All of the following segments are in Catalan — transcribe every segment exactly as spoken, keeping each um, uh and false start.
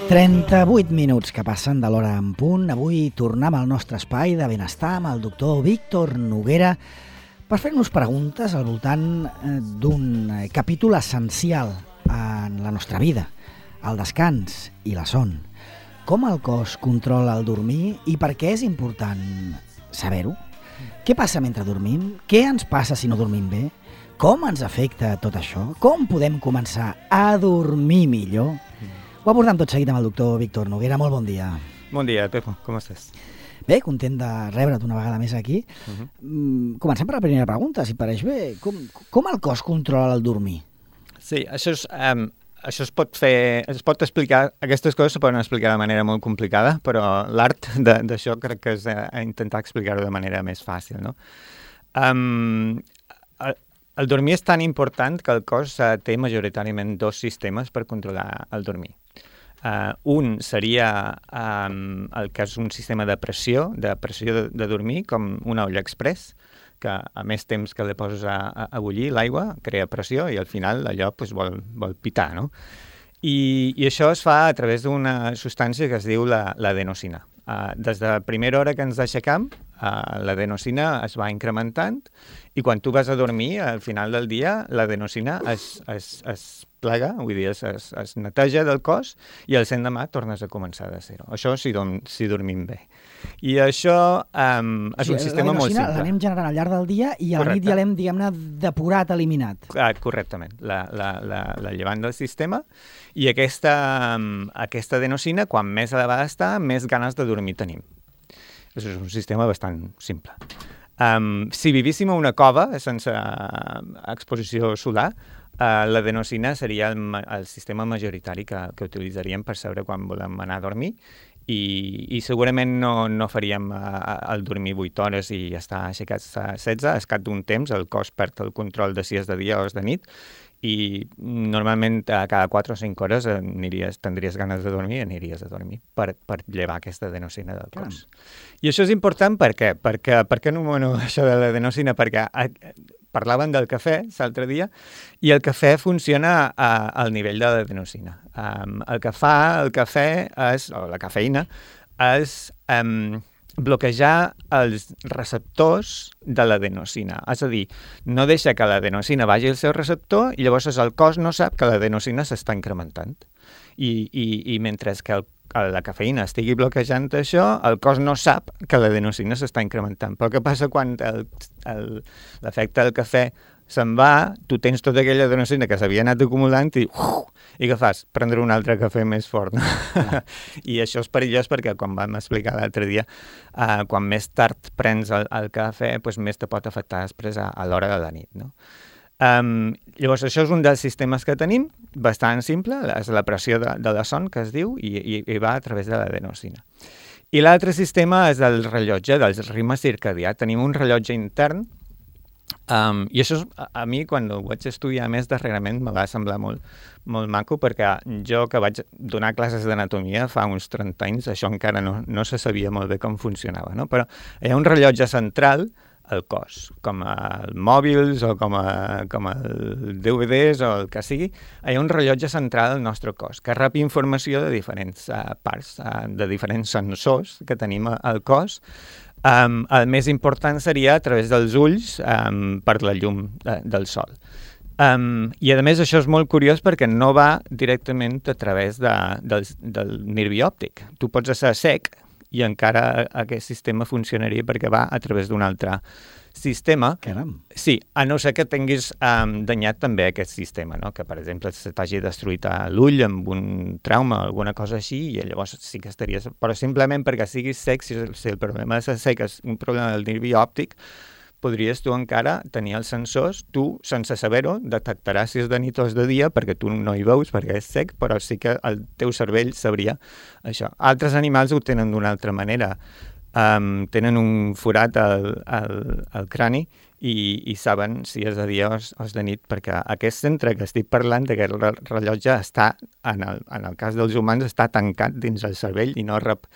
trenta-vuit minuts que passen de l'hora en punt. Avui tornem al nostre espai de benestar amb el doctor Víctor Noguera per fer-nos preguntes al voltant d'un capítol essencial en la nostra vida, el descans i la son. Com el cos controla el dormir i per què és important saber-ho? Què passa mentre dormim? Què ens passa si no dormim bé? Com ens afecta tot això? Com podem començar a dormir millor? Ho abordem tot seguit amb el doctor Víctor Noguera. Molt bon dia. Bon dia, Pepo. Com estàs? Bé, content de rebre't una vegada més aquí. Uh-huh. Mm, comencem per la primera pregunta, si pareix bé. Com, com el cos controla el dormir? Sí, això és... Um, això es pot fer... Es pot explicar... Aquestes coses se poden explicar de manera molt complicada, però l'art d'això crec que és a, a intentar explicar-ho de manera més fàcil, no? Um, el, el dormir és tan important que el cos uh, té majoritàriament dos sistemes per controlar el dormir. Uh, un seria um, el que és un sistema de pressió, de pressió de, de dormir, com una olla express, que a més temps que li poses a, a, a bullir l'aigua, crea pressió i al final allò pues, vol, vol pitar, no? I, I això es fa a través d'una substància que es diu la, l'adenosina. Uh, des de la primera hora que ens aixecam, uh, l'adenosina es va incrementant i quan tu vas a dormir, al final del dia, l'adenosina es, es, es plega, vull dir, es, es, es neteja del cos i el l'endemà tornes a començar de zero. Això si, dorm, si dormim bé. I això um, és sí, un sistema molt simple. L'anem generant al llarg del dia i a la nit ja l'hem, diguem-ne, depurat, eliminat. Ah, correctament. La, la, la, la llevant del sistema i aquesta, um, aquesta adenosina, quan més elevada està, més ganes de dormir tenim. Això és un sistema bastant simple. Um, si vivíssim a una cova sense uh, exposició solar, uh, l'adenosina seria el, el sistema majoritari que, que utilitzaríem per saber quan volem anar a dormir i, i segurament no, no faríem uh, el dormir vuit hores i estar aixecats a setze. Al cap d'un temps el cos perd el control de si és de dia o és de nit i normalment a cada quatre o cinc hores aniries, tindries ganes de dormir i aniries a dormir per, per llevar aquesta adenosina del cos. Caram. I això és important per què? Perquè, per què anomeno això de l'adenosina? Perquè a, parlaven del cafè l'altre dia i el cafè funciona a, al nivell de l'adenosina. Um, el que fa el cafè, és, o la cafeïna, és... Um, bloquejar els receptors de l'adenosina. És a dir, no deixa que l'adenosina vagi al seu receptor i llavors el cos no sap que l'adenosina s'està incrementant. I, i, i mentre que el, la cafeïna estigui bloquejant això, el cos no sap que l'adenosina s'està incrementant. Però què passa quan el, el, l'efecte del cafè se'n va, tu tens tota aquella adenosina que s'havia anat acumulant i, uf, i què fas? Prendre un altre cafè més fort. No? Ah. I això és perillós perquè, com vam explicar l'altre dia, uh, quan més tard prens el, el cafè, doncs més te pot afectar després a, a l'hora de la nit. No? Um, llavors, això és un dels sistemes que tenim, bastant simple, és la pressió de, de la son, que es diu, i, i, i va a través de l'adenosina. I l'altre sistema és el rellotge, del ritme circadià. Tenim un rellotge intern. Um, I això, és, a, a mi, quan ho vaig estudiar més darrerament, me va semblar molt, molt maco, perquè jo que vaig donar classes d'anatomia fa uns trenta anys, això encara no, no se sabia molt bé com funcionava, no? Però hi ha un rellotge central al cos, com els mòbils o com, a, com el D V Ds o el que sigui. Hi ha un rellotge central al nostre cos que rep informació de diferents uh, parts, uh, de diferents sensors que tenim al cos. Um, el més important seria a través dels ulls um, per la llum de, del sol. Um, I a més això és molt curiós perquè no va directament a través de, del, del nervi òptic. Tu pots estar sec i encara aquest sistema funcionaria perquè va a través d'un altre sistema. Caram. Sí, a no ser que tinguis um, danyat també aquest sistema, no? Que per exemple se t'hagi destruït l'ull amb un trauma o alguna cosa així i llavors sí que estaries... Però simplement perquè siguis sec, si, si el problema de ser sec és un problema del nervi òptic, podries tu encara tenir els sensors, tu, sense saber-ho, detectaràs si és de nit o és de dia, perquè tu no hi veus, perquè és sec, però sí que el teu cervell sabria això. Altres animals ho tenen d'una altra manera. Um, tenen un forat al, al, al crani i, i saben si és de dia o és, o és de nit, perquè aquest centre que estic parlant, aquest rellotge, està, en el, en el cas dels humans, està tancat dins el cervell i no rep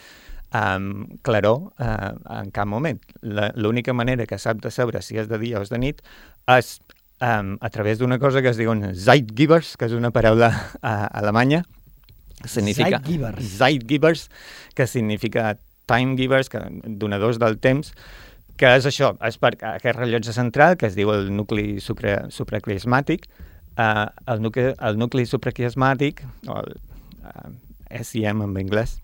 um, claror uh, en cap moment. La, l'única manera que sap de saber si és de dia o és de nit és um, a través d'una cosa que es diuen Zeitgebers, que és una paraula uh, alemanya, significa Zeitgebers. Zeitgebers, que significa time givers, que, donadors del temps, que és això, és per aquest rellotge central, que es diu el nucli sucre, supraquiasmàtic, uh, el, nucli, el nucli supraquiasmàtic, o el uh, S I M en anglès,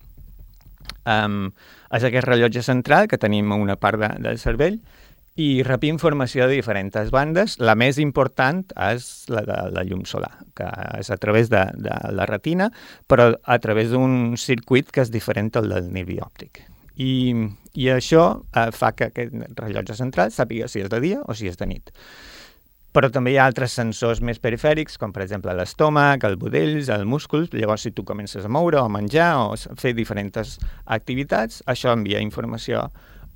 um, és aquest rellotge central que tenim a una part de, del cervell i rep informació de diferents bandes. La més important és la de la llum solar, que és a través de, de la retina, però a través d'un circuit que és diferent al del nervi òptic. I, i això eh, fa que aquest rellotge central sàpiga si és de dia o si és de nit. Però també hi ha altres sensors més perifèrics, com per exemple l'estómac, el budells, el múscul. Llavors, si tu comences a moure o a menjar o a fer diferents activitats, això envia informació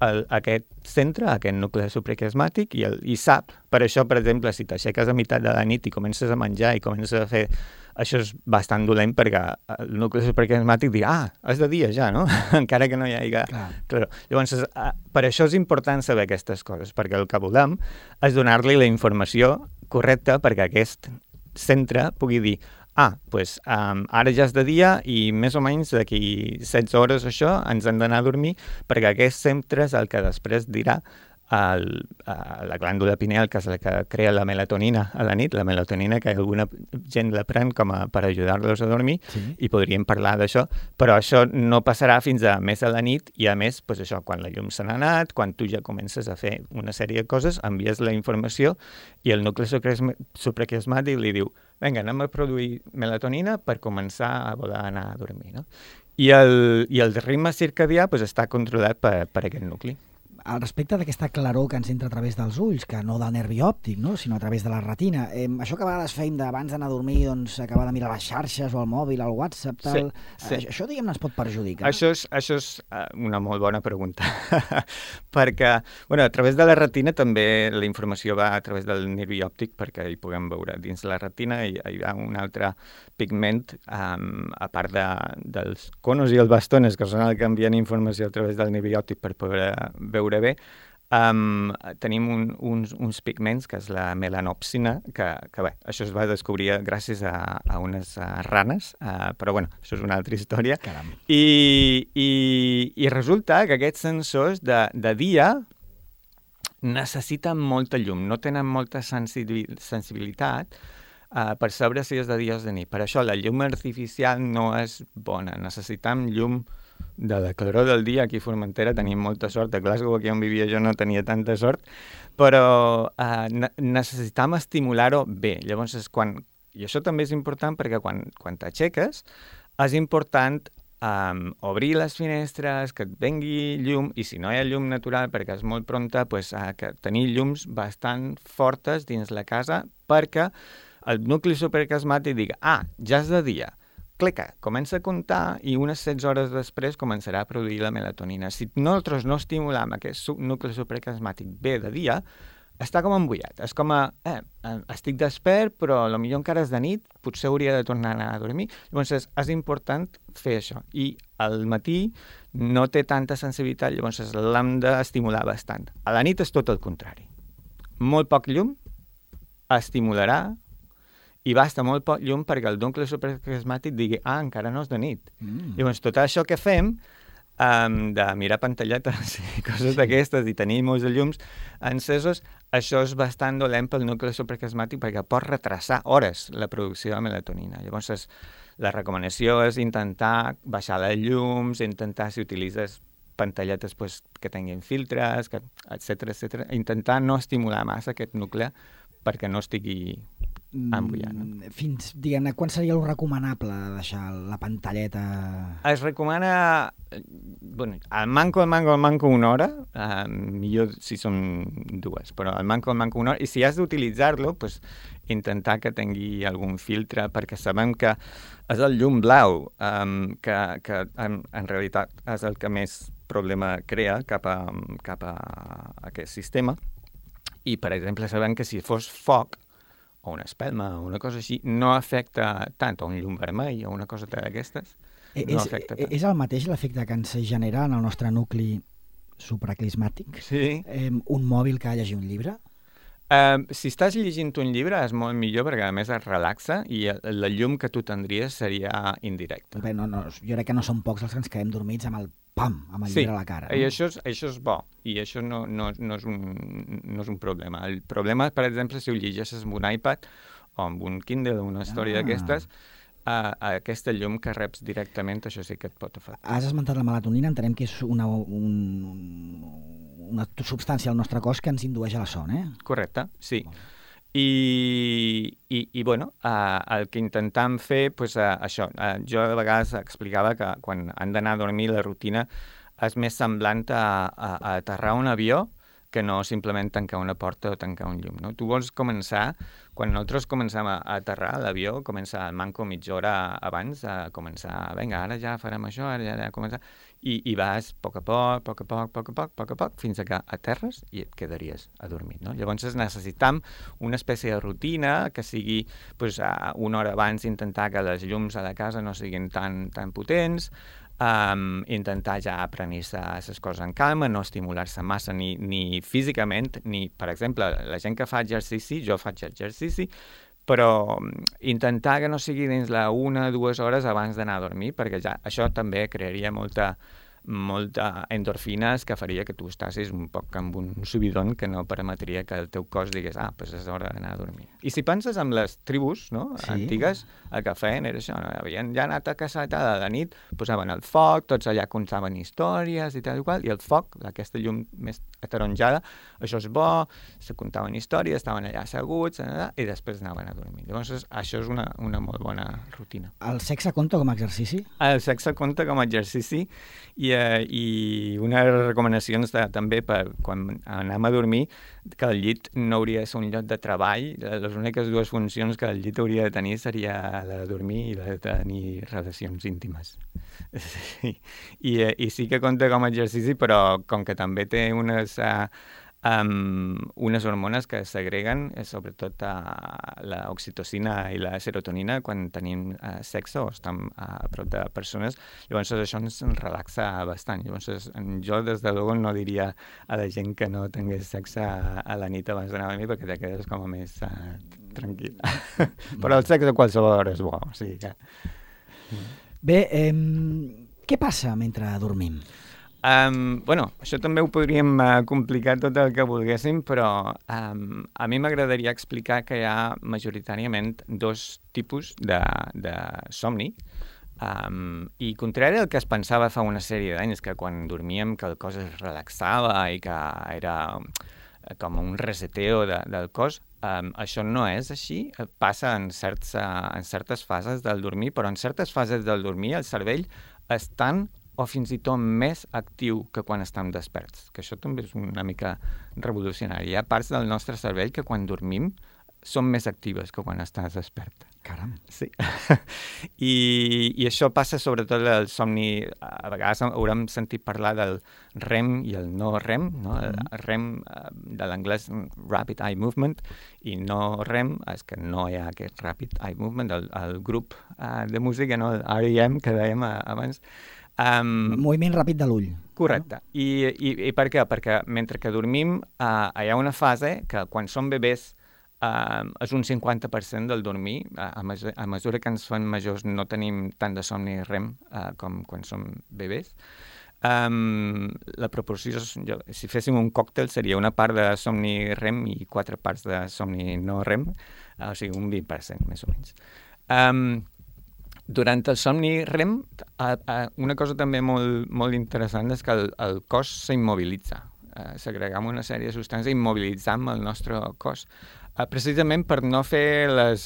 a aquest centre, a aquest nucli supraquiasmàtic, i, el, i sap. Per això, per exemple, si t'aixeques a meitat de la nit i comences a menjar i comences a fer... Això és bastant dolent perquè el nucli supraquiasmàtic dirà, ah, és de dia ja, no? Encara que no hi hagi... Clar. Claro. Llavors, per això és important saber aquestes coses, perquè el que volem és donar-li la informació correcta perquè aquest centre pugui dir, ah, doncs um, ara ja és de dia i més o menys d'aquí setze hores això ens hem d'anar a dormir, perquè aquest centre és el que després dirà el, a la glàndula pineal, que és la que crea la melatonina a la nit, la melatonina que alguna gent la pren com a, per ajudar-los a dormir, sí. I podríem parlar d'això, però això no passarà fins a més a la nit i a més, doncs això, quan la llum se n'ha anat, quan tu ja comences a fer una sèrie de coses, envies la informació i el nucli supraquiasmàtic li diu, vinga, anem a produir melatonina per començar a voler anar a dormir, no? I el, i el ritme circadià doncs, està controlat per, per aquest nucli. Al respecte d'aquesta claror que ens entra a través dels ulls, que no del nervi òptic, no? Sinó a través de la retina, eh, això que a vegades fèiem d'abans d'anar a dormir, doncs acabar de mirar les xarxes o el mòbil, el WhatsApp, tal... Sí, sí. Això, diguem-ne, ens pot perjudicar? Això és, això és una molt bona pregunta, perquè, bueno, a través de la retina també la informació va a través del nervi òptic, perquè hi puguem veure dins la retina i hi ha un altre pigment, um, a part de, dels conos i els bastones, que són els que envien informació a través del nervi òptic per poder veure bé, um, tenim un, uns, uns pigments, que és la melanopsina, que, que bé, això es va descobrir gràcies a, a unes uh, ranes, uh, però bueno, això és una altra història. Caram. I, i, i resulta que aquests sensors de, de dia necessiten molta llum, no tenen molta sensibilitat uh, per saber si és de dia o de nit. Per això la llum artificial no és bona, necessitem llum de la claror del dia. Aquí a Formentera tenim molta sort, a Glasgow, aquí on vivia jo, no tenia tanta sort, però eh, ne- necessitam estimular-ho bé. Llavors, és quan... I això també és important perquè quan, quan t'aixeques és important um, obrir les finestres, que et vengui llum, i si no hi ha llum natural perquè és molt pronta, pues, uh, que tenir llums bastant fortes dins la casa perquè el nucli supraquiasmàtic diga, ah, ja és de dia, clica, comença a comptar i unes setze hores després començarà a produir la melatonina. Si nosaltres no estimulem aquest nucli supraquiasmàtic bé de dia, està com embullat. És com a, eh, estic despert, però potser encara és de nit, potser hauria de tornar a anar a dormir. Llavors és, és important fer això. I al matí no té tanta sensibilitat, llavors l'hem d'estimular bastant. A la nit és tot el contrari. Molt poc llum estimularà i basta molt poc llum perquè el nucli supraquiasmàtic digui, ah, encara no és de nit. Mm. Llavors, tot això que fem, um, de mirar pantalletes i coses d'aquestes i tenir molts de llums encesos, això és bastant dolent pel nucli supraquiasmàtic perquè pot retrasar hores la producció de melatonina. Llavors, és, la recomanació és intentar baixar les llums, intentar, si utilitzes pantalletes pues, que tinguin filtres, que, etcètera, etcètera, intentar no estimular massa aquest nucli perquè no estigui embullat. No? Fins, diguem-ne, quan seria el recomanable deixar la pantalleta? Es recomana, bueno, al manco, al manco, al manco una hora, uh, millor si són dues, però al manco, al manco una hora, i si has d'utilitzar-lo, pues, intentar que tingui algun filtre, perquè sabem que és el llum blau, um, que, que en, en realitat és el que més problema crea cap a, cap a aquest sistema, i, per exemple, sabem que si fos foc, o una espelma, o una cosa així, no afecta tant, o un llum vermell, o una cosa d'aquestes, no és, afecta tant. És el mateix l'efecte que ens genera en el nostre nucli supraquiasmàtic? Sí. Eh, un mòbil que llegir un llibre? Uh, si estàs llegint un llibre és molt millor perquè a més es relaxa i la llum que tu tindries seria indirecta. Bé, no, no, jo crec que no són pocs els que ens quedem dormits amb el pam, amb el sí, llibre a la cara. No? I això és, això és bo i això no, no, no, és un, no és un problema. El problema, per exemple, si ho llegeixes amb un iPad o amb un Kindle o una història ah. d'aquestes, uh, aquesta llum que reps directament, això sí que et pot afectar. Has esmentat la melatonina, entenem que és una, un, una substància al nostre cos que ens indueix a la son, eh? Correcte, sí. I, i, i bueno, uh, el que intentam fer, pues, uh, això, uh, jo de vegades explicava que quan han d'anar a dormir la rutina és més semblant a, a, a aterrar un avió que no simplement tancar una porta o tancar un llum. No? Tu vols començar, quan nosaltres comencem a, a aterrar l'avió, comença el manco mitja hora abans a començar, vinga, ara ja farem això, ara ja, ja començar, i, i vas a poc a poc, a poc a poc, a poc a poc, a poc a poc, fins a que aterres i et quedaries a dormir. No? Llavors necessitam una espècie de rutina que sigui pues, una hora abans intentar que les llums a la casa no siguin tan, tan potents, Um, intentar ja aprendre-se les coses en calma, no estimular-se massa ni, ni físicament, ni, per exemple, la gent que fa exercici, jo faig exercici, però intentar que no sigui dins la una o dues hores abans d'anar a dormir, perquè ja això també crearia molta, molta endorfines que faria que tu estàssis un poc amb un subidon que no permetria que el teu cos digués ah, doncs és hora d'anar a dormir. I si penses en les tribus no? sí. antigues, el que feien era això, no? Havien ja anat a caçar a la nit, posaven el foc, tots allà contaven històries i tal i qual, i el foc, aquesta llum més ataronjada, això és bo, se contaven històries, estaven allà asseguts, i després anaven a dormir. Llavors, això és una, una molt bona rutina. El sexe compta com a exercici? El sexe compta com a exercici i I, i unes recomanacions de, també per quan anem a dormir que el llit no hauria de ser un lloc de treball. Les úniques dues funcions que el llit hauria de tenir seria la de dormir i la de tenir relacions íntimes. Sí. I, i sí que compta com a exercici, però com que també té unes... Uh, Um, unes hormones que segreguen, eh, sobretot uh, l'oxitocina i la serotonina quan tenim uh, sexe o estem uh, a prop de persones, llavors això ens relaxa bastant. Llavors jo des de luego no diria a la gent que no tingués sexe a, a la nit abans d'anar a dormir perquè te quedes com a més uh, tranquil. Però el sexe a qualsevol hora és bo. O sigui que... Bé, eh, què passa mentre dormim? Um, bueno, això també ho podríem uh, complicar tot el que volguéssim, però um, a mi m'agradaria explicar que hi ha majoritàriament dos tipus de, de somni. Um, I contrari al que es pensava fa una sèrie d'anys, que quan dormíem que el cos es relaxava i que era com un reseteo de, del cos, um, això no és així. Passa en, certs, uh, en certes fases del dormir, però en certes fases del dormir el cervell és tan o fins i tot més actiu que quan estem desperts, que això també és una mica revolucionari. Hi ha parts del nostre cervell que quan dormim són més actives que quan estàs despert. Caram. Sí. I, I això passa sobretot al somni. A vegades haurem sentit parlar del REM i el no REM. No? El REM, de l'anglès Rapid Eye Movement, i no REM és que no hi ha aquest Rapid Eye Movement. El, el grup uh, de música, no? El R E M, que dèiem abans, Um, moviment ràpid de l'ull. Correcte. No? I, i, I per què? Perquè mentre que dormim uh, hi ha una fase que quan som bebès uh, és un cinquanta per cent del dormir. Uh, a, mesura, a mesura que ens fem majors no tenim tant de somni REM uh, com quan som bebès. Um, la proporció, jo, si féssim un còctel, seria una part de somni REM i quatre parts de somni no REM, uh, o sigui, un vint per cent, més o menys. Um, Durant el somni REM, una cosa també molt, molt interessant és que el, el cos s'immobilitza. Eh, segregam una sèrie de substàncies i immobilitzam el nostre cos, eh, precisament per no fer les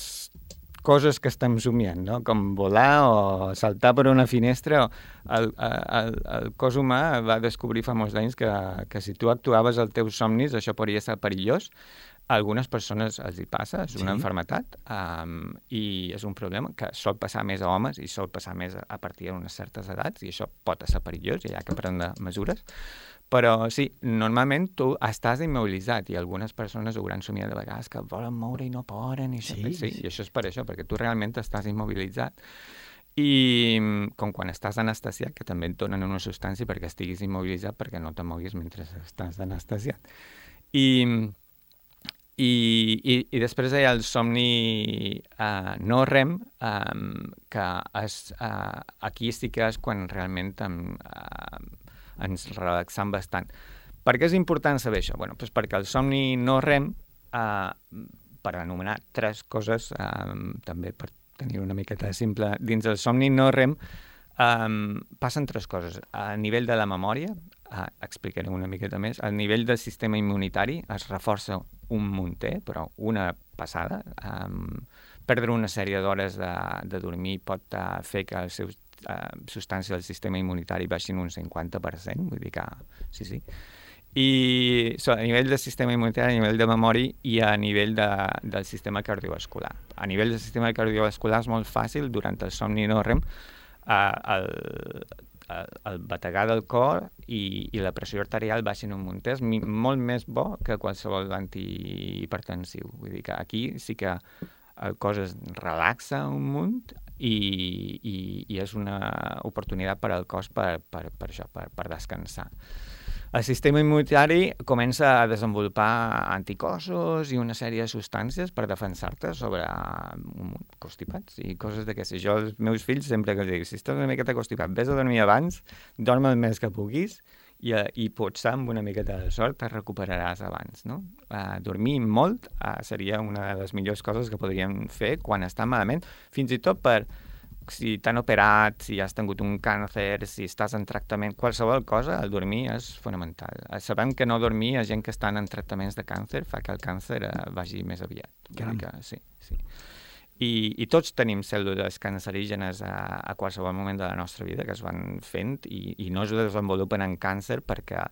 coses que estem somiant, no? Com volar o saltar per una finestra. El, el, el cos humà va descobrir fa molts anys que, que si tu actuaves als teus somnis això podria ser perillós. A algunes persones els hi passa, és una sí. malaltia, um, i és un problema que sol passar més a homes i sol passar més a partir d'unes certes edats, i això pot ser perillós i hi ha que prendre mesures. Però sí, normalment tu estàs immobilitzat i algunes persones hauran somiat de vegades que volen moure i no poden. I sí, sí, sí, i això és per això, perquè tu realment estàs immobilitzat. I com quan estàs anestesiat, que també et donen una substància perquè estiguis immobilitzat perquè no te moguis mentre estàs anestesiat. I... I, i, i després hi ha el somni uh, no rem, um, que és, uh, aquí sí que és quan realment um, uh, ens relaxam bastant. Per què és important saber això? Bueno, doncs perquè el somni no rem, uh, per anomenar tres coses, um, també per tenir una miqueta simple, dins del somni no rem um, passen tres coses. A nivell de la memòria, uh, explicaré una miqueta més, a nivell del sistema immunitari es reforça un munter, però una passada. Um, perdre una sèrie d'hores de, de dormir pot uh, fer que els seus uh, substàncies del sistema immunitari baixin un cinquanta per cent, vull dir que sí, sí. I so, a nivell del sistema immunitari, a nivell de memòria i a nivell de, del sistema cardiovascular. A nivell del sistema cardiovascular és molt fàcil, durant el somni no rem, uh, el, el, el bategar del cor i, i la pressió arterial baixin un munt. És mi, molt més bo que qualsevol antihipertensiu. Vull dir que aquí sí que el cos es relaxa un munt i, i, i és una oportunitat per al cos per, per, per això, per, per descansar. El sistema immunitari comença a desenvolupar anticossos i una sèrie de substàncies per defensar-te sobre constipats i coses d'aquestes. Jo als meus fills sempre que els dic, si estàs una miqueta constipat, vés a dormir abans, dorm el més que puguis i, i potser amb una miqueta de sort te recuperaràs abans, no? Uh, dormir molt uh, seria una de les millors coses que podríem fer quan està malament, fins i tot per si t'han operat, si has tingut un càncer, si estàs en tractament, qualsevol cosa, el dormir és fonamental. Sabem que no dormir a gent que estan en tractaments de càncer fa que el càncer eh, vagi més aviat. Que, sí, sí. I, I tots tenim cèl·lules cancerígenes a, a qualsevol moment de la nostra vida que es van fent i, i no es desenvolupen en càncer perquè,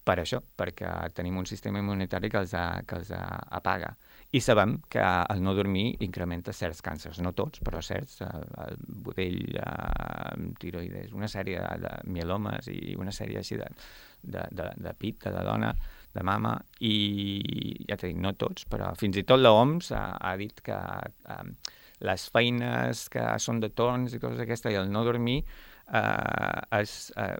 per això, perquè tenim un sistema immunitari que els, a, que els a, apaga. I sabem que el no dormir incrementa certs càncers, no tots, però certs, el, el budell, el tiroides, una sèrie de mielomes i una sèrie així de, de, de, de pit, de la dona, de mama, i ja t'he dit, no tots, però fins i tot l'O M S ha, ha dit que um, les feines que són de torns i coses d'aquestes i el no dormir uh, es, uh,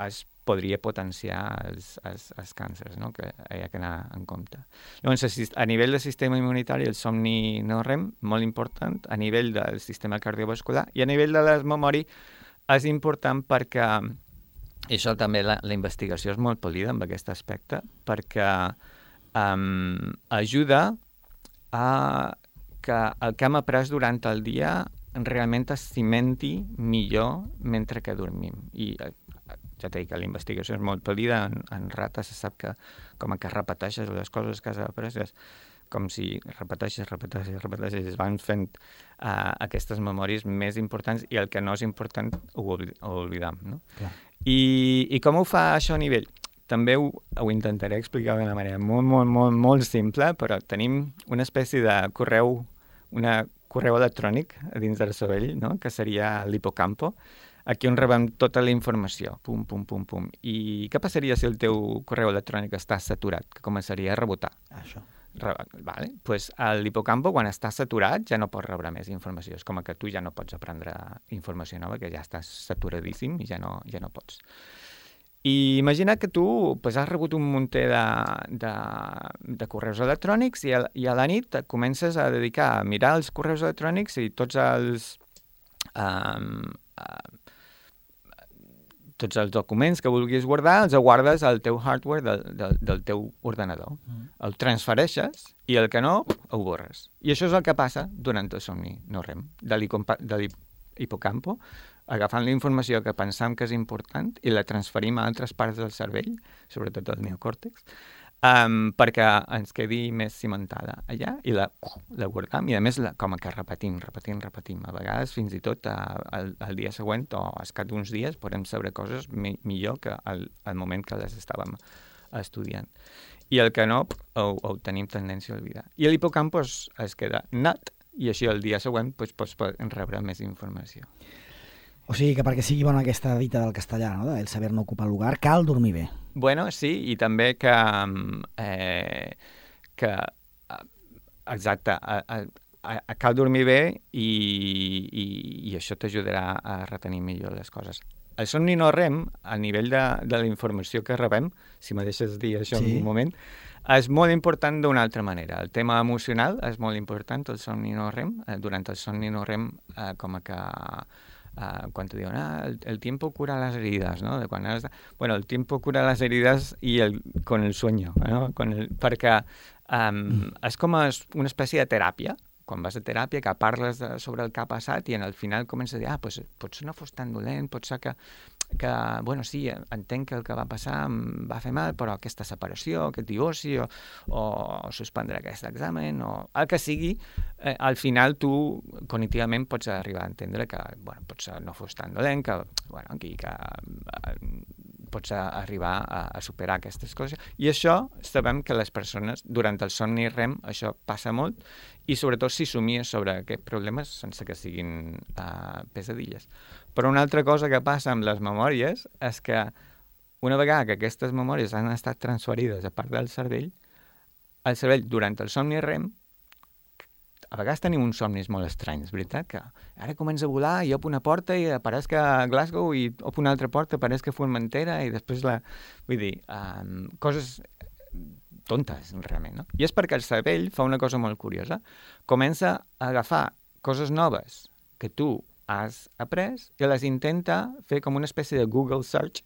es podria potenciar els, els, els càncers, no? Que hi ha que anar en compte. Llavors, a nivell del sistema immunitari, el somni no rem, molt important, a nivell del sistema cardiovascular i a nivell de la memòria és important perquè, i això també la, la investigació és molt polida en aquest aspecte, perquè um, ajuda a que el que hem après durant el dia realment es cimenti millor mentre que dormim. I ja t'he dit que la investigació és molt polida, en, en rates se sap que com que repeteixes les coses que has après, és com si repeteixes, repeteixes, repeteixes, es van fent uh, aquestes memòries més importants i el que no és important ho, oblid ho oblidam, no? Clar. I, I com ho fa això a nivell? També ho, ho intentaré explicar d'una manera molt, molt, molt, molt simple, però tenim una espècie de correu, una correu electrònic dins del cervell, no? Que seria l'hipocampo, aquí on rebem tota la informació, pum, pum, pum, pum. I què passaria si el teu correu electrònic està saturat? Que començaria a rebotar. Això. Re vale. Pues l'hipocampo, quan està saturat, ja no pot rebre més informació. És com que tu ja no pots aprendre informació nova, que ja estàs saturadíssim i ja no, ja no pots. I imagina que tu pues, has rebut un munter de, de, de correus electrònics i a, i a la nit et comences a dedicar a mirar els correus electrònics i tots els... Um, uh, tots els documents que vulguis guardar, els guardes al teu hardware del, del, del teu ordenador. Mm. El transfereixes i el que no, ho borres. I això és el que passa durant el somni no rem, de l'hipocampo, agafant la informació que pensam que és important i la transferim a altres parts del cervell, sobretot el neocòrtex, um, perquè ens quedi més cimentada allà i la, la guardam i a més la, com que repetim, repetim, repetim. A vegades fins i tot al, al dia següent o al cap d'uns dies podem saber coses mi, millor que al, al moment que les estàvem estudiant. I el que no, ho, ho tenim tendència a oblidar. I l'hipocampo es, es queda nat i així el dia següent pues, pots rebre més informació. O sigui que perquè sigui bona aquesta dita del castellà, no? El saber no ocupar lugar, cal dormir bé. Bueno, sí, i també que, eh, que exacte, a, a, a, cal dormir bé i, i, i això t'ajudarà a retenir millor les coses. el somni no rem, a nivell de, de la informació que rebem, si me deixes dir això sí. en un moment, és molt important d'una altra manera. El tema emocional és molt important, el somni no rem. Durant el somni no rem, eh, com que... Uh, quan te diuen, ah, el, el tiempo cura las heridas, ¿no? De quan has de... Bueno, el tiempo cura las heridas y el, con el sueño, ¿no? Con el, perquè um, mm. és com una espècie de teràpia, quan vas a teràpia, que parles de, sobre el que ha passat i en el final comença a dir, ah, pues, potser no fos tan dolent, potser que, que, bueno, sí, entenc que el que va passar em va fer mal, però aquesta separació, aquest divorci, o, o suspendre aquest examen, o el que sigui, eh, al final tu cognitivament pots arribar a entendre que, bueno, potser no fos tan dolent, que, bueno, que, que eh, pots arribar a, a superar aquestes coses. I això sabem que les persones, durant el somni rem, això passa molt, i sobretot si somies sobre aquests problemes sense que siguin uh, pesadilles. Però una altra cosa que passa amb les memòries és que una vegada que aquestes memòries han estat transferides a part del cervell, el cervell, durant el somni rem, a vegades tenim uns somnis molt estranys, veritat? Que ara comença a volar i op una porta i apareix que a Glasgow i op una altra porta apareix que a Formentera i després la... Vull dir, um, coses tontes, realment, no? I és perquè el cervell fa una cosa molt curiosa. Comença a agafar coses noves que tu has après i les intenta fer com una espècie de Google search,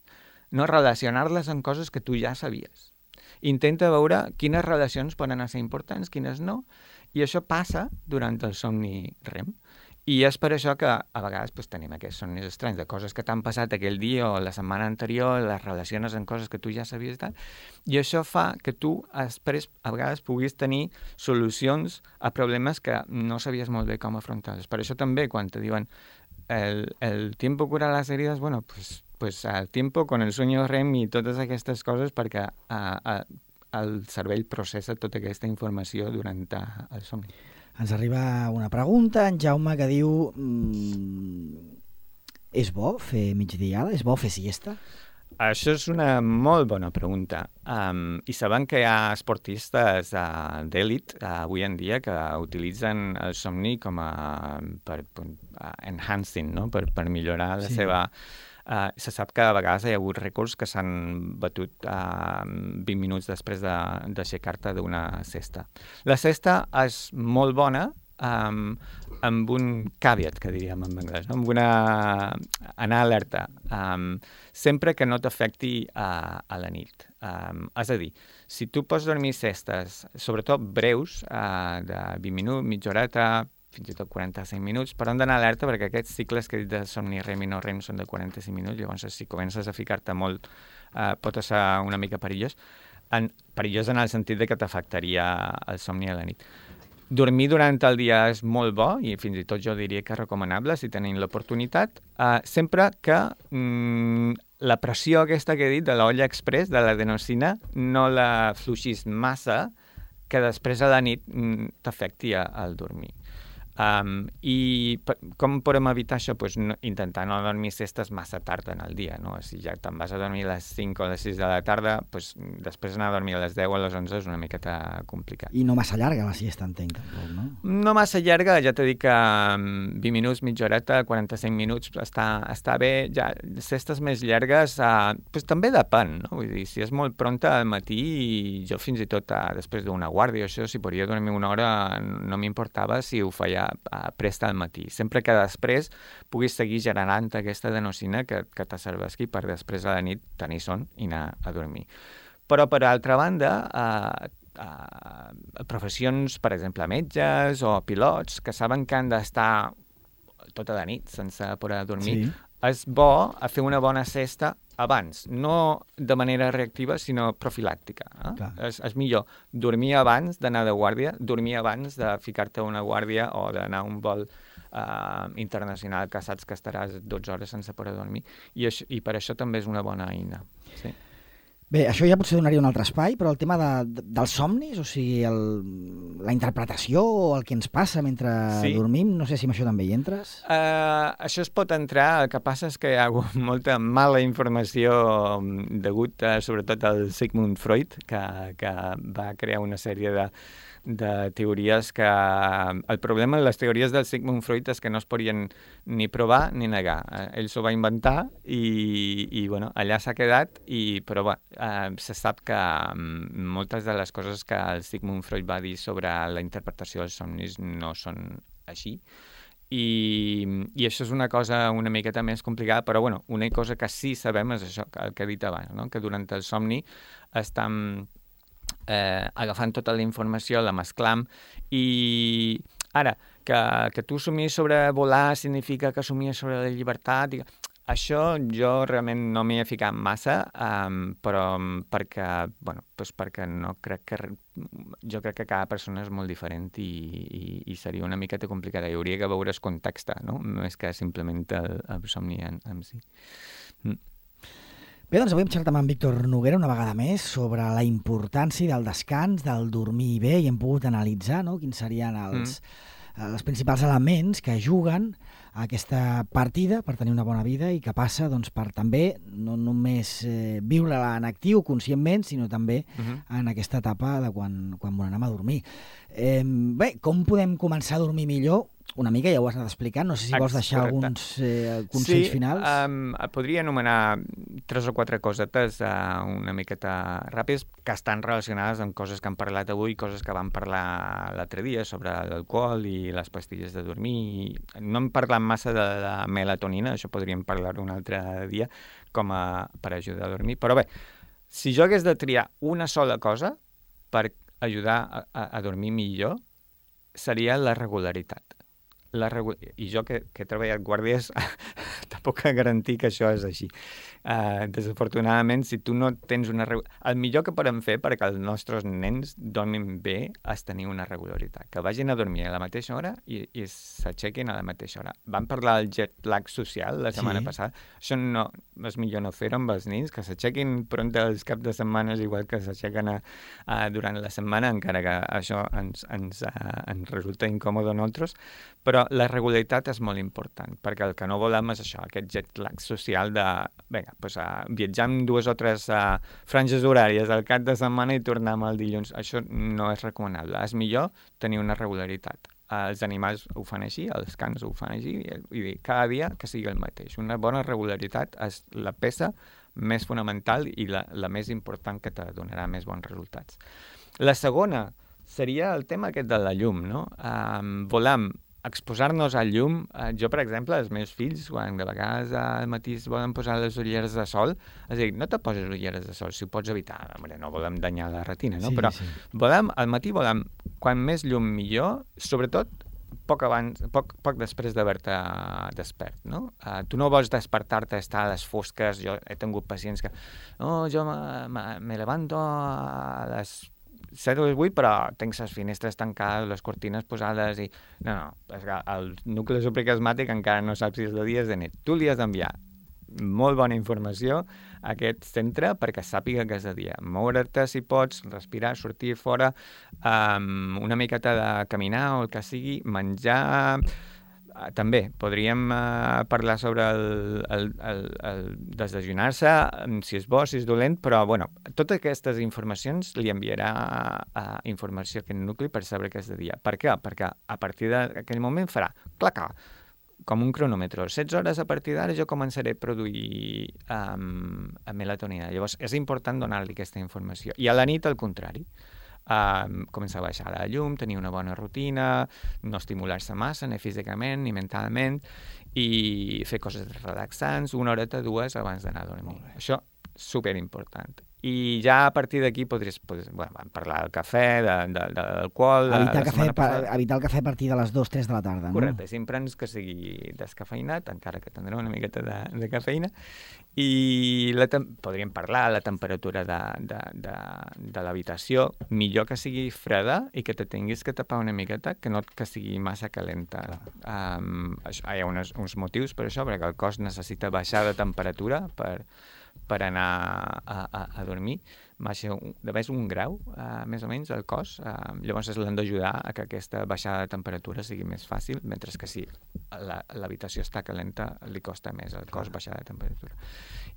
no relacionar-les amb coses que tu ja sabies. Intenta veure quines relacions poden ser importants, quines no, i això passa durant el somni rem. I és per això que a vegades pues, tenim aquests somnis estranys, de coses que t'han passat aquell dia o la setmana anterior, les relaciones amb coses que tu ja sabies i tal, i això fa que tu després a vegades puguis tenir solucions a problemes que no sabies molt bé com afrontar-los. Per això també quan te diuen el, el tiempo cura las heridas, bueno, pues, pues el tiempo con el sueño rem i totes aquestes coses perquè a, a, el cervell processa tota aquesta informació durant el somni. Ens arriba una pregunta, en Jaume, que diu mmm, és bo fer migdiada? És bo fer siesta? Això és una molt bona pregunta. Um, I sabem que hi ha esportistes uh, d'èlit uh, avui en dia que utilitzen el somni com a per, per uh, enhancing, no? per, per millorar la sí. seva... Uh, se sap que a vegades hi ha hagut rècords que s'han batut uh, vint minuts després de, d'aixecar-te d'una cesta. La cesta és molt bona um, amb un caveat, que diríem en anglès, no? Amb una... anar alerta, um, sempre que no t'afecti uh, a la nit. Um, és a dir, si tu pots dormir cestes, sobretot breus, uh, de vint minuts, mitja horeta, fins i tot quaranta-cinc minuts, però hem d'anar alerta perquè aquests cicles que he dit de somni rem i no rem són de quaranta-cinc minuts, llavors si comences a ficar-te molt eh, pot ser una mica perillós. En, perillós en el sentit de que t'afectaria el somni a la nit. Dormir durant el dia és molt bo i fins i tot jo diria que és recomanable si tenim l'oportunitat, eh, sempre que mm, la pressió aquesta que he dit de l'olla express, de l'adenosina, no la fluixis massa que després a la nit mm, t'afecti al dormir. Um, I per, com podem evitar això? Pues no, intentar no dormir cestes massa tard en el dia, no? Si ja te'n vas a dormir a les cinc o a les sis de la tarda, pues, després anar a dormir a les deu o a les onze és una miqueta complicat. I no massa llarga la siesta, entenc, tampoc, no? No massa llarga, ja t'he dit que um, vint minuts, mitja horeta, quaranta-cinc minuts, està, està bé. Ja, cestes més llargues, uh, pues, també depèn, no? Vull dir, si és molt pronta al matí, jo fins i tot uh, després d'una guàrdia, això, si podia dormir una hora, no m'importava si ho feia a presta al matí, sempre que després puguis seguir generant aquesta adenosina que, que te serveixi per després a la nit tenir son i anar a dormir. Però, per altra banda, eh, eh, professions, per exemple, metges o pilots, que saben que han d'estar tota la nit sense poder dormir, sí. És bo a fer una bona cesta abans, no de manera reactiva, sinó profilàctica. Eh? És, és millor dormir abans d'anar de guàrdia, dormir abans de ficar-te a una guàrdia o d'anar a un vol uh, internacional que saps que estaràs dotze hores sense poder dormir. I, això, i per això també és una bona eina. Sí. Bé, això ja potser donaria un altre espai, però el tema de, de, dels somnis, o sigui, el, la interpretació o el que ens passa mentre sí. dormim, no sé si amb això també hi entres. Uh, això es pot entrar, el que passa és que hi ha hagut molta mala informació degut a, sobretot al Sigmund Freud, que, que va crear una sèrie de de teories que... El problema de les teories del Sigmund Freud és que no es podien ni provar ni negar. Ell s'ho va inventar i, i bueno, allà s'ha quedat, i, però bé, eh, se sap que moltes de les coses que el Sigmund Freud va dir sobre la interpretació dels somnis no són així. I, i això és una cosa una miqueta més complicada, però bueno, una cosa que sí sabem és això, el que he dit abans, no? Que durant el somni estem eh, agafant tota la informació, la mesclam, i ara, que, que tu somies sobre volar significa que somies sobre la llibertat, i... Això jo realment no m'hi he ficat massa, um, però perquè, bueno, doncs perquè no crec que... Jo crec que cada persona és molt diferent i, i, i seria una miqueta complicada. Hi hauria que veure el context, no? Més que simplement el, el somni en, en si. Mm. Bé, doncs avui hem xerrat amb en Víctor Noguera una vegada més sobre la importància del descans, del dormir bé, i hem pogut analitzar, no?, quins serien els, mm. els principals elements que juguen a aquesta partida per tenir una bona vida i que passa doncs, per també no només eh, viure-la en actiu conscientment, sinó també uh-huh. en aquesta etapa de quan, quan volem anar a dormir. Eh, bé, com podem començar a dormir millor? Una mica ja ho has anat explicant, no sé si vols deixar Correcte. alguns eh, consells sí, finals. Sí, um, podria anomenar tres o quatre cosetes uh, una miqueta ràpides que estan relacionades amb coses que han parlat avui, coses que vam parlar l'altre dia sobre l'alcohol i les pastilles de dormir. No hem parlat massa de la melatonina, això podríem parlar un altre dia com a, per ajudar a dormir, però bé, si jo hagués de triar una sola cosa per ajudar a, a, a dormir millor, seria la regularitat. La regu... I jo, que, que he treballat guàrdies, tampoc puc garantir que això és així. Uh, desafortunadament, si tu no tens una... Regu... El millor que podem fer perquè els nostres nens dormin bé és tenir una regularitat. Que vagin a dormir a la mateixa hora i, i s'aixequin a la mateixa hora. Vam parlar del jet lag social la setmana sí. passada. Això no... És millor no fer-ho amb els nens, que s'aixequin pront els caps de setmanes igual que s'aixequen a, a, durant la setmana, encara que això ens, ens, uh, ens resulta incòmode a nosaltres. Però la regularitat és molt important, perquè el que no volem és això, aquest jet lag social de, vinga, doncs, uh, viatjar amb dues o tres uh, franges horàries al cap de setmana i tornar el dilluns. Això no és recomanable. És millor tenir una regularitat. Uh, els animals ho fan així, els cans ho fan així, i, i cada dia que sigui el mateix. Una bona regularitat és la peça més fonamental i la, la més important que te donarà més bons resultats. La segona seria el tema aquest de la llum, no? Um, volem exposar-nos al llum. Uh, jo, per exemple, els meus fills, quan de vegades al matí es volen posar les ulleres de sol, és a dir, no te poses ulleres de sol, si ho pots evitar. Hombre, no volem danyar la retina, no? Sí, Però sí. volem, al matí volem, quan més llum millor, sobretot poc abans, poc, poc després d'haver-te despert, no? Uh, tu no vols despertar-te, estar a les fosques. Jo he tingut pacients que, no, jo me, me, me levanto a les set o vuit, però tinc les finestres tancades, les cortines posades i... No, no, és que el nucli supraquiasmàtic encara no saps si és de dia o de nit. Tu li has d'enviar molt bona informació a aquest centre perquè sàpiga que és de dia. Moure't si pots, respirar, sortir fora, um, una miqueta de caminar o el que sigui, menjar... Uh, també podríem uh, parlar sobre el, el, el, el desdejunar-se, si és bo, si és dolent, però bueno, totes aquestes informacions li enviarà uh, informació a aquest nucli per saber que és de dia. Per què? Perquè a partir d'aquell moment farà claca, com un cronòmetre. setze hores a partir d'ara jo començaré a produir um, melatonina. Llavors és important donar-li aquesta informació. I a la nit, al contrari. Uh, començar a baixar la llum, tenir una bona rutina, no estimular-se massa ni físicament ni mentalment i fer coses relaxants, una horeta, dues abans d'anar a dormir. Això és superimportant. I ja a partir d'aquí podries, podries bueno, parlar del cafè, de, de, de l'alcohol... Evitar, cafè, pa, evitar el cafè a partir de les dues tres de la tarda, no? Correcte, sempre ens que sigui descafeinat, encara que tindrà una miqueta de, de cafeïna. I la tem- podríem parlar de la temperatura de, de, de, de l'habitació, millor que sigui freda i que te tinguis que tapar una miqueta, que no que sigui massa calenta. Um, això, hi ha unes, uns motius per això, perquè el cos necessita baixar de temperatura per, per anar a, a, a dormir, baixa un, de vegades un grau, uh, més o menys, al cos. Uh, llavors l'hem d'ajudar a que aquesta baixada de temperatura sigui més fàcil, mentre que si la, l'habitació està calenta li costa més al cos baixar de temperatura.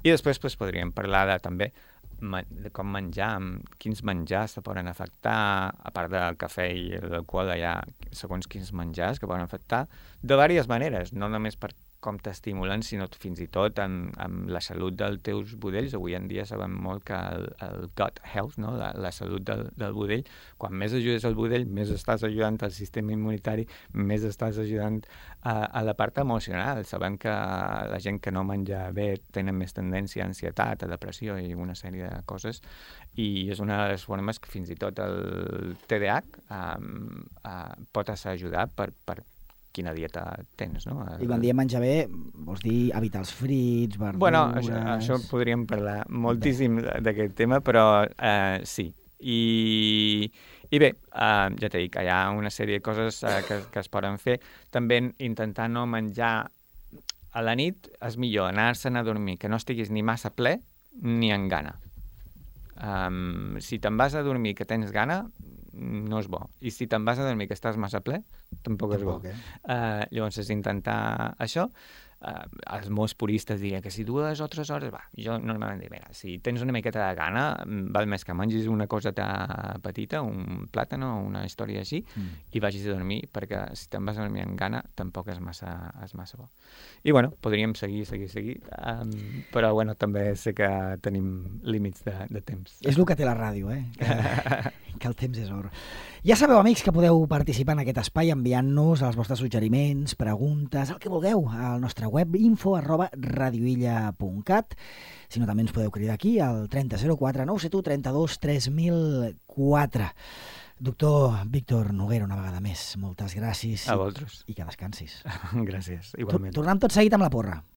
I després pues, podríem parlar de, també de com menjar, quins menjars te poden afectar, a part del cafè i l'alcohol, hi ha segons quins menjars que poden afectar de diverses maneres, no només per com t'estimulen, sinó fins i tot amb, amb la salut dels teus budells. Avui en dia sabem molt que el, el gut health, no? la, la salut del, del budell, quan més ajudes al budell, més estàs ajudant al sistema immunitari, més estàs ajudant a, a la part emocional. Sabem que la gent que no menja bé tenen més tendència a ansietat, a depressió i una sèrie de coses, i és una de les formes que fins i tot el T D A H um, uh, pot ajudar per, per quina dieta tens, no? I quan diem menjar bé, vols dir evitar els frits, verdures... Bueno, això, això podríem parlar moltíssim d'aquest tema, però eh, sí. I, i bé, eh, ja t'he dit, hi ha una sèrie de coses eh, que, que es poden fer. També intentar no menjar a la nit, és millor anar-se'n a dormir, que no estiguis ni massa ple ni en gana. Um, si te'n vas a dormir que tens gana, no és bo. I si te'n vas a dormir que estàs massa ple, tampoc és bo. Tampoc, eh? Uh, llavors és intentar això. Uh, els molts puristes dirien que si dues o tres hores, va, jo normalment dic, mira, si tens una miqueta de gana, val més que mengis una coseta petita, un plàtan o una història així, mm. i vagis a dormir, perquè si te'n vas a dormir amb gana, tampoc és massa, és massa bo. I bueno, podríem seguir, seguir, seguir, um, però bueno, també sé que tenim límits de, de temps. És el que té la ràdio, eh? Que, que el temps és or. Ja sabeu, amics, que podeu participar en aquest espai enviant-nos els vostres suggeriments, preguntes, el que vulgueu, al nostre web info arroba radioilla punt cat. Si no, també ens podeu cridar aquí al trenta zero quatre nou set u trenta-dos tres mil quatre. Doctor Víctor Noguera, una vegada més, moltes gràcies. A vosaltres. I que descansis. Gràcies, igualment. Tornem tot seguit amb la porra.